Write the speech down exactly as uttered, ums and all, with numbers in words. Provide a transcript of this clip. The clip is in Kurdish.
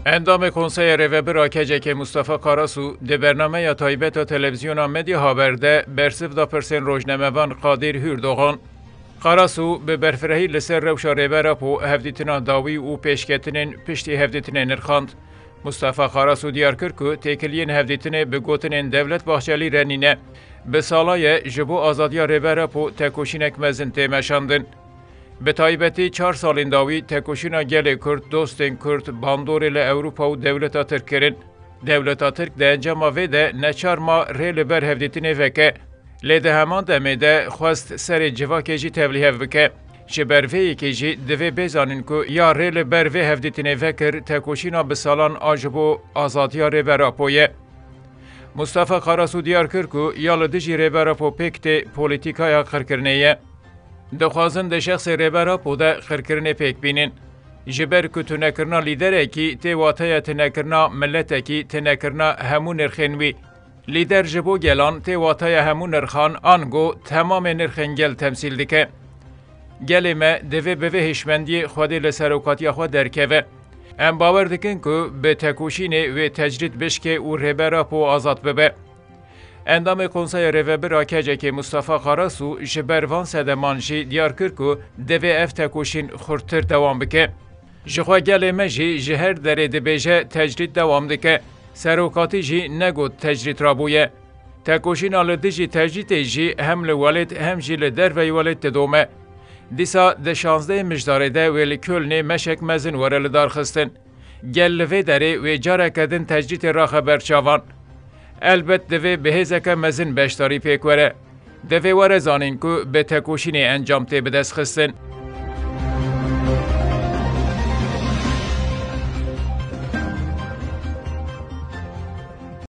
Endamê Konseya Rêvebir a K C K Mustafa Karasu di bernameya taybet a Televîzyona Medya Haber de bersiv da pirsên rojnamevan Qadir Hürdogan. Karasu bi berfirehî li ser rewşa Rêber Apo, hevdîtina dawî û pêşketinên piştî hevdîtinê nirxand. Mustafa Karasu diyar kir ku têkiliyên hevdîtinê bi gotinên Devlet Bahçelî re nîne. Bi sala ye ji bo azadiya Rêber Apo tekoşînek mezin tê meşandin. Bi taybetî çar salên dawî tekoşîna gelê Kurd, dostên Kurd, bandorê li Ewropa û dewleta Tirk kirin. Dewleta Tirk di encama vê de neçar ma rê li ber hevdîtinê veke. Lê di heman demê de xwest serê civakê jî tevlîhev bike. Ji ber vê yekê jî divê bê zanîn ku ya rê li ber vê hevdîtinê vekir tekoşîna bi salan a ji bo azadiya Rêber Apo ye. Mustafa Karasu diyar kir ku ya li dijî Rêber Apo pêk tê polîtîkaya qirkirinê ye. Dixwazin di şexsê Rêber Apo de qirkirinê pêk bînin. Ji ber ku tunekirina lîderekî tê wateya tunekirina miletekî, tunekirina hemû nirxên wî. Lîder ji bo gelan tê wateya hemû nirxan, ango temamê nirxên gel temsîl dike. Gelê me divê bi vê hişmendiyê Xwedê li serokatiya xwe derkeve. Em bawer dikin ku bi tekoşînê wê tecrîd bişke û Rêber Apo azad bibe. Endamê Konseya Rêvebir a K C K Mustafa Karasu ji ber van sedeman jî diyar kir ku divê ev tekoşîn xurttir dewam bike. Jixwe gelê me jî ji her derê dibêje tecrîd dewam dike. Serokatî jî negot tecrîd rabûye. Tekoşîna li dijî tecrîdê jî hem li welêt hem jî li derveyî welêt didome. Dîsa di şazdehê Mijdarê de wê li Kölnê meşek mezin were lidarxistin. Gel li vê derê wê careke din tecrîdê raxe ber çavan. Elbet divê bi hêzeke mezin beşdarî pêk were. Divê were zanîn ku bi tekoşînê encam tê bidestxistin.